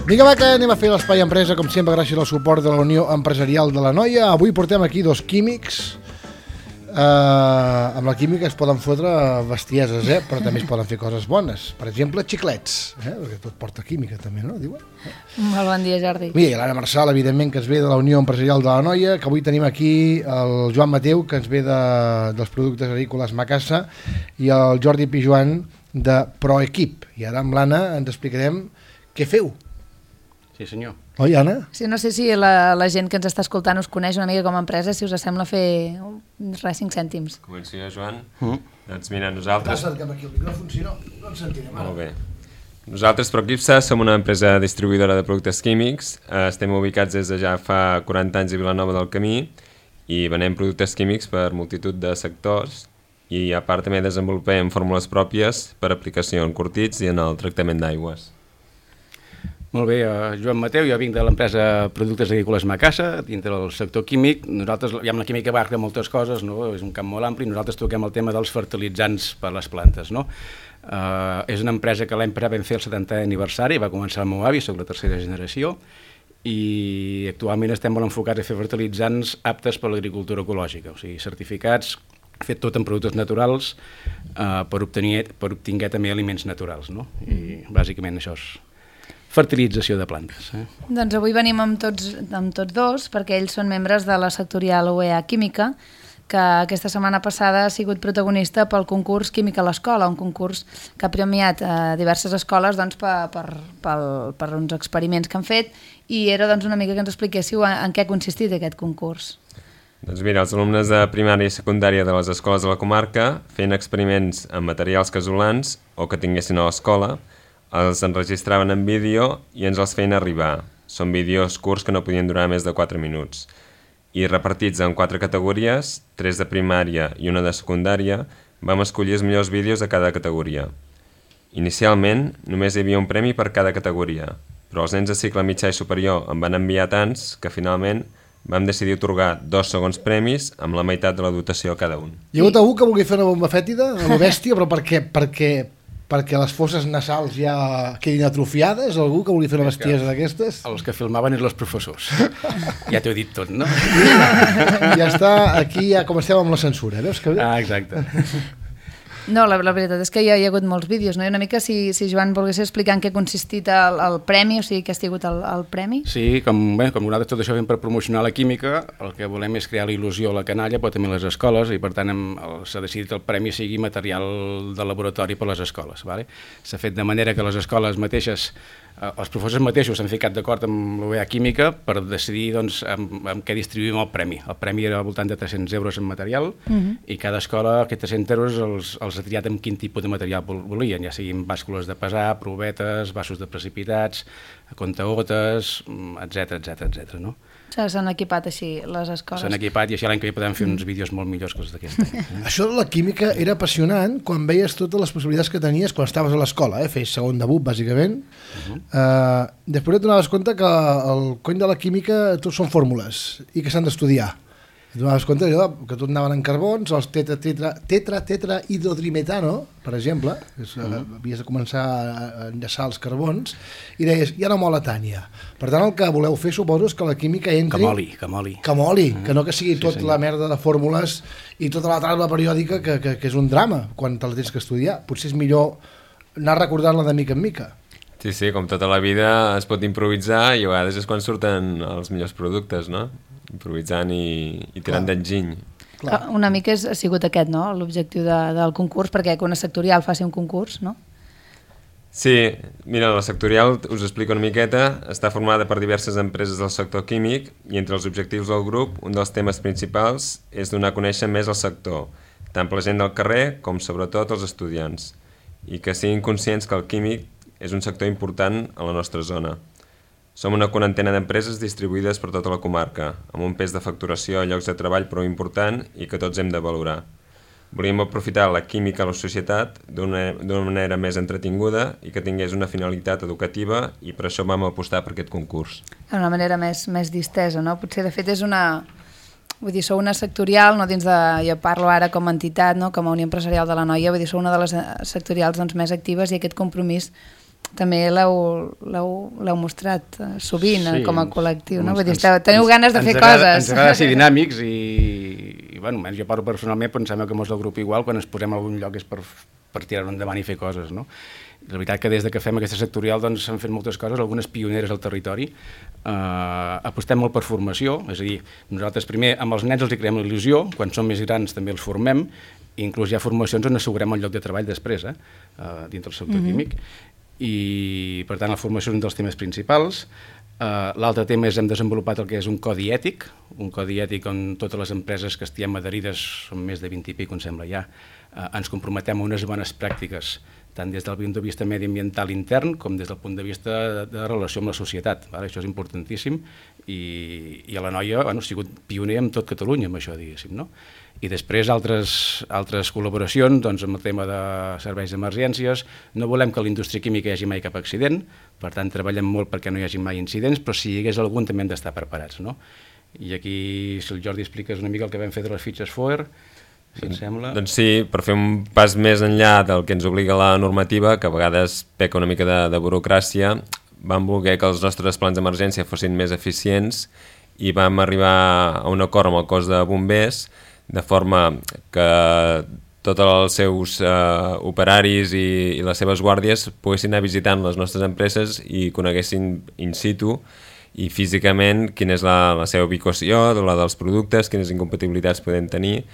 Vinga, va, que anem a fer l'Espai Empresa, com sempre, gràcies al suport de la Unió Empresarial de l'Anoia. Avui portem aquí dos químics. Amb la química es poden fotre bestieses, però també es poden fer coses bones. Per exemple, xiclets, perquè tot porta química també, no? Diuen? Molt bon dia, Jordi. I l'Anna Marçal, evidentment, que es ve de la Unió Empresarial de l'Anoia, que avui tenim aquí el Joan Mateu, que ens ve dels productes agrícoles Macassa, i el Jordi Pijuan de Proequip. I ara amb l'Anna ens explicarem què feu. Sí, senyor. Oi, Anna? Sí, no sé si la gent que ens està escoltant us coneix una mica com a empresa, si us sembla fer 5 cèntims. Començo jo, Joan. Doncs mira, nosaltres... Acérca'm aquí el micròfon, si no ens sentirem. Molt bé. Nosaltres, Proquipsa, som una empresa distribuïdora de productes químics. Estem ubicats des de ja fa 40 anys a Vilanova del Camí i venem productes químics per multitud de sectors i a part també desenvolupem fórmules pròpies per aplicació en curtits i en el tractament d'aigües. Molt bé, Joan Mateu, jo vinc de l'empresa Productes Agrícoles Macassa, dintre del sector químic. Nosaltres, la química abarca moltes coses, no? És un camp molt ampli, nosaltres toquem el tema dels fertilitzants per a les plantes, no? És una empresa que l'any passat vam fer el 70è aniversari, va començar el meu avi, soc la tercera generació, i actualment estem molt enfocats a fer fertilitzants aptes per a l'agricultura ecològica, o sigui, certificats, fet tot en productes naturals per obtenir també aliments naturals, no? I bàsicament això és fertilització de plantes. Doncs avui venim amb tots dos, perquè ells són membres de la sectorial UEA Química, que aquesta setmana passada ha sigut protagonista pel concurs Química a l'Escola, un concurs que ha premiat diverses escoles doncs, per uns experiments que han fet, i era doncs, una mica que ens expliquéssiu en què ha consistit aquest concurs. Doncs mira, els alumnes de primària i secundària de les escoles de la comarca feien experiments amb materials casolans o que tinguessin a l'escola, els enregistraven en vídeo i ens els feien arribar. Són vídeos curts que no podien durar més de 4 minuts. I repartits en 4 categories, 3 de primària i 1 de secundària, vam escollir els millors vídeos de cada categoria. Inicialment, només hi havia un premi per cada categoria, però els nens de cicle mitjà i superior en van enviar tants que finalment vam decidir atorgar 2 segons premis amb la meitat de la dotació a cada un. Hi ha hagut algú que vulgui fer una bomba fètida, a lo bèstia, però per què? Perquè les fosses nasals ja quedin atrofiades? Algú que vulgui fer una bestiesa d'aquestes? Els que filmaven eren els professors. Ja t'ho he dit tot, no? Ja està, aquí ja comencem amb la censura, veus? Exacte. No, la veritat és que hi ha hagut molts vídeos, no? I una mica, si Joan volgués explicar en què ha consistit el premi, o sigui, què ha sigut el premi? Sí, com nosaltres tot això fem per promocionar la química, el que volem és crear la il·lusió a la canalla, però també a les escoles, i per tant s'ha decidit que el premi sigui material de laboratori per a les escoles. S'ha fet de manera que les escoles mateixes, els professors mateixos s'han ficat d'acord amb l'UEA Química per decidir amb què distribuïm el premi. El premi era al voltant de 300 euros en material i cada escola aquests 300 euros els ha triat amb quin tipus de material volien, ja siguin bàscules de pesar, provetes, vasos de precipitats, contagotes, etc. No? S'han equipat així les escoles. S'han equipat i així l'any que ve podem fer uns vídeos molt millors que els d'aquest any. Això de la química era apassionant quan veies totes les possibilitats que tenies quan estaves a l'escola, feies segon debut, bàsicament. Després et donaves compte que el cony de la química tot són fórmules i que s'han d'estudiar. Et donaves compte que tot anaven en carbons, els tetrahidrodrimetano, per exemple, havies de començar a enllaçar els carbons, i deies, ja no mola tant ja. Per tant, el que voleu fer, suposo, és que la química entri... Que moli, que no que sigui tot la merda de fórmules i tota la taula periòdica, que és un drama quan te la tens que estudiar. Potser és millor anar recordant-la de mica en mica. Sí, com tota la vida es pot improvisar i a vegades és quan surten els millors productes, no? Improvisant i tirant d'enginy. Una mica ha sigut aquest, no?, l'objectiu del concurs, perquè que una sectorial faci un concurs, no? Sí, mira, la sectorial, us explico una miqueta, està formada per diverses empreses del sector químic i entre els objectius del grup, un dels temes principals és donar a conèixer més el sector, tant per la gent del carrer com sobretot els estudiants, i que siguin conscients que el químic és un sector important a la nostra zona. Som una quarantena d'empreses distribuïdes per tota la comarca, amb un pes de facturació a llocs de treball prou important i que tots hem de valorar. Volíem aprofitar la química a la societat d'una manera més entretinguda i que tingués una finalitat educativa i per això vam apostar per aquest concurs. D'una manera més distesa, no? Potser de fet és una... Vull dir, sou una sectorial, no dins de... Jo parlo ara com a entitat, no? Com a Unió Empresarial de l'Anoia, vull dir, sou una de les sectorials doncs, més actives i aquest compromís també l'heu mostrat sovint com a col·lectiu, no? Vull dir, teniu ganes de fer coses. Ens agrada ser dinàmics i bueno, jo parlo personalment, però em sembla que molts del grup igual, quan ens posem a algun lloc és per tirar-ho endavant i fer coses, no? La veritat que des que fem aquesta sectorial doncs s'han fet moltes coses, algunes pioneres al territori. Apostem molt per formació, és a dir, nosaltres primer amb els nens els hi creem la il·lusió, quan són més grans també els formem, i inclús hi ha formacions on assegurem el lloc de treball després, dintre del sector químic, i per tant la formació és un dels temes principals. L'altre tema és hem desenvolupat el que és un codi ètic on totes les empreses que estiguem adherides, són més de 20 i pic, em sembla ja, ens comprometem a unes bones pràctiques, tant des del punt de vista mediambiental intern com des del punt de vista de relació amb la societat. Això és importantíssim i a la Noia ha sigut pioner en tot Catalunya amb això, diguéssim, no? I després altres col·laboracions amb el tema de serveis d'emergències. No volem que a la indústria química hi hagi mai cap accident, per tant treballem molt perquè no hi hagi mai incidents, però si hi hagués algun també hem d'estar preparats, no? I aquí, si el Jordi expliques una mica el que vam fer de les fitxes FOER, si et sembla. Doncs sí, per fer un pas més enllà del que ens obliga la normativa, que a vegades peca una mica de burocràcia, vam voler que els nostres plans d'emergència fossin més eficients i vam arribar a un acord amb el cos de bombers, de forma que tots els seus operaris i les seves guàrdies poguessin anar visitant les nostres empreses i coneguessin in situ i físicament quina és la seva ubicació, la dels productes, quines incompatibilitats podem tenir,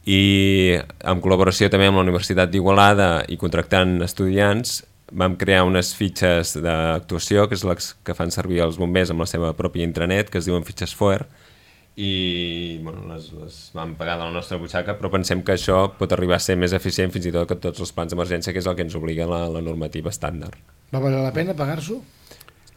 i en col·laboració també amb la Universitat d'Igualada i contractant estudiants vam crear unes fitxes d'actuació, que és les que fan servir els bombers amb la seva pròpia intranet, que es diuen fitxes FOER, i les vam pagar de la nostra butxaca, però pensem que això pot arribar a ser més eficient fins i tot que tots els plans d'emergència, que és el que ens obliga la normativa estàndard. Va valer la pena pagar-s'ho?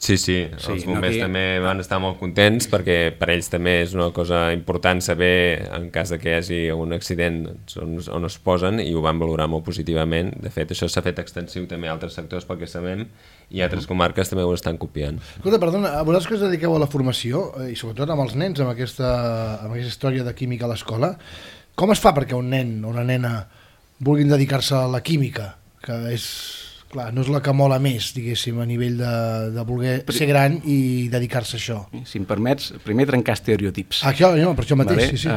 Sí, els bombers també van estar molt contents perquè per ells també és una cosa important saber en cas de que hi hagi un accident on es posen i ho van valorar molt positivament. De fet, això s'ha fet extensiu també a altres sectors pel que sabem i altres comarques també ho estan copiant. Escolta, perdona, vosaltres que us dediqueu a la formació i sobretot amb els nens, amb aquesta història de química a l'escola, com es fa perquè un nen o una nena vulguin dedicar-se a la química, que és... Clar, no és la que mola més, diguéssim, a nivell de voler ser gran i dedicar-se a això. Si em permets, primer trencar estereotips. Per això mateix, vale? Sí.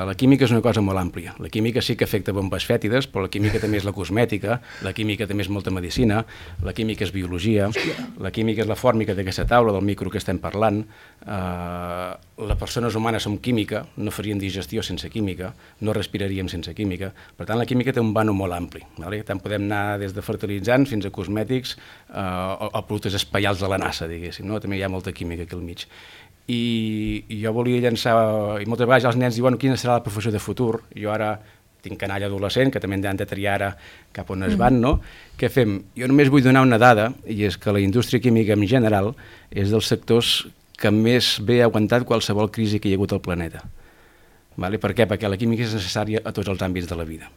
La química és una cosa molt àmplia. La química sí que afecta bombes fètides, però la química també és la cosmètica, la química també és molta medicina, la química és biologia, la química és la fòrmica d'aquesta taula, del micro que estem parlant. Les persones humanes som química, no faríem digestió sense química, no respiraríem sense química. Per tant, la química té un vano molt ampli. Vale? Tant podem anar des de fertilitzants fins a cosmètics o productes espaials de la NASA, diguéssim, no? També hi ha molta química aquí al mig. I jo volia llançar, i moltes vegades els nens diuen quina serà la professió de futur. Jo ara tinc canalla adolescent, que també han de triar ara cap on es van, no? Què fem? Jo només vull donar una dada, i és que la indústria química en general és dels sectors que més bé ha aguantat qualsevol crisi que hi ha hagut al planeta. Vale? Per què? Perquè la química és necessària a tots els àmbits de la vida.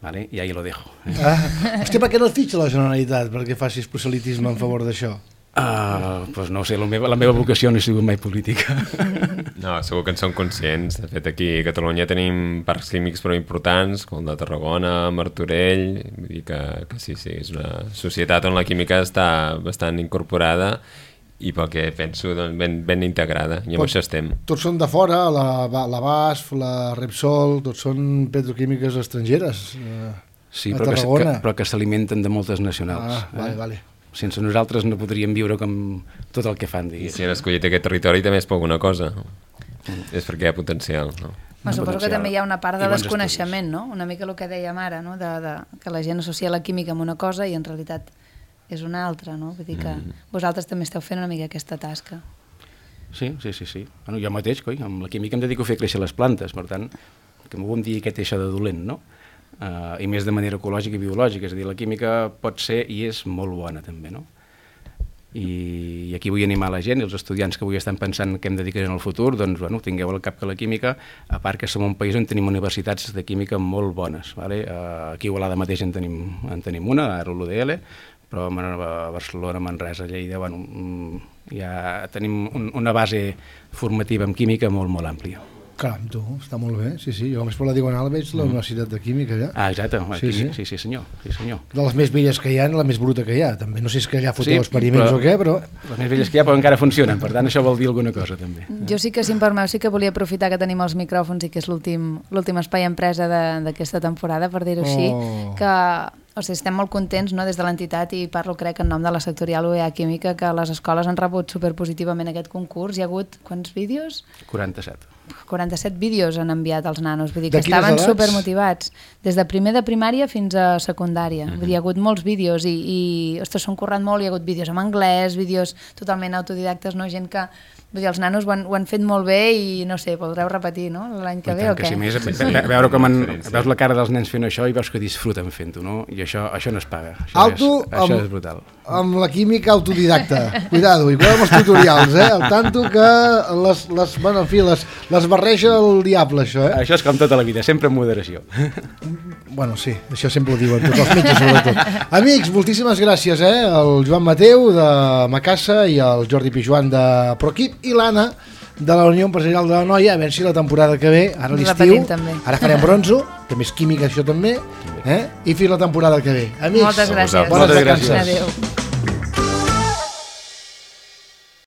Vale? I ahí lo dejo. Hòstia, per què no et fitxa la Generalitat perquè facis proselitisme en favor d'això? Pues no ho sé, la meva vocació no ha sigut mai política. No, segur que en som conscients. De fet, aquí a Catalunya tenim parcs químics prou importants, com el de Tarragona, Martorell, vull dir que sí, és una societat on la química està bastant incorporada i pel que penso ben integrada, i amb això estem. Tots són de fora, la BASF, la Repsol, tots són petroquímiques estrangeres. Sí, però que s'alimenten de moltes nacionals. Vale. Sense nosaltres no podríem viure com tot el que fan. I si han escollit aquest territori també és per alguna cosa. És perquè hi ha potencial, no? Suposo que també hi ha una part de desconeixement, no? Una mica el que dèiem ara, no? Que la gent associa la química amb una cosa i en realitat és una altra, no? Vull dir que vosaltres també esteu fent una mica aquesta tasca. Sí. Bueno, jo mateix, amb la química em dedico a fer créixer les plantes, per tant, que m'ho vam dir què té això de dolent, no? I més de manera ecològica i biològica, és a dir, la química pot ser i és molt bona també, no? I aquí vull animar la gent i els estudiants que avui estan pensant què em dedicaré en el futur, doncs tingueu al cap que la química, a part que som un país on tenim universitats de química molt bones, vale? Aquí a Igualada mateix en tenim una, ara l'UDL, però a Barcelona, Manresa, Lleida, ja tenim una base formativa en química molt, molt àmplia. Caram, tu, està molt bé, sí, jo només per la Diagonal veig la Universitat de Química allà. Exacte, sí senyor. De les més velles que hi ha, la més bruta que hi ha, també, no sé si és que allà foteu experiments o què, però... Les més velles que hi ha però encara funcionen, per tant això vol dir alguna cosa també. Jo sí que, si em permeu, sí que volia aprofitar que tenim els micròfons i que és l'últim espai empresa d'aquesta temporada, per dir-ho així, que... O sigui, estem molt contents, no?, des de l'entitat, i parlo, crec, en nom de la sectorial UEA Química, que les escoles han rebut superpositivament aquest concurs. Hi ha hagut, quants vídeos? 47. 47 vídeos han enviat als nanos, vull dir que estaven supermotivats, des de primer de primària fins a secundària. Vull dir, hi ha hagut molts vídeos i ostres, s'han currat molt, hi ha hagut vídeos en anglès, vídeos totalment autodidactes, no? Gent que... Vull dir, els nanos ho han fet molt bé i, no sé, voldreu repetir, no?, l'any que ve o què? Sí, més, veure com veus la cara dels nens fent això i veus que disfruten fent-ho, no? I això no es paga. Això és brutal. Amb la química autodidacta. Cuidado, i cuidado amb els tutorials, al tanto que les barreja el diable, això, Això és com tota la vida, sempre amb moderació. Bueno, sí, això sempre ho diuen, tots els metges sobretot. Amics, moltíssimes gràcies, el Joan Mateu de Macassa i el Jordi Pijuan de Proquip i l'Anna de la Unió Empresarial de la Noia, a veure si la temporada que ve, ara l'estiu, ara farem bronzo, també és química això també, i fins la temporada que ve. Amics, moltes gràcies. Bones vacances. Adéu.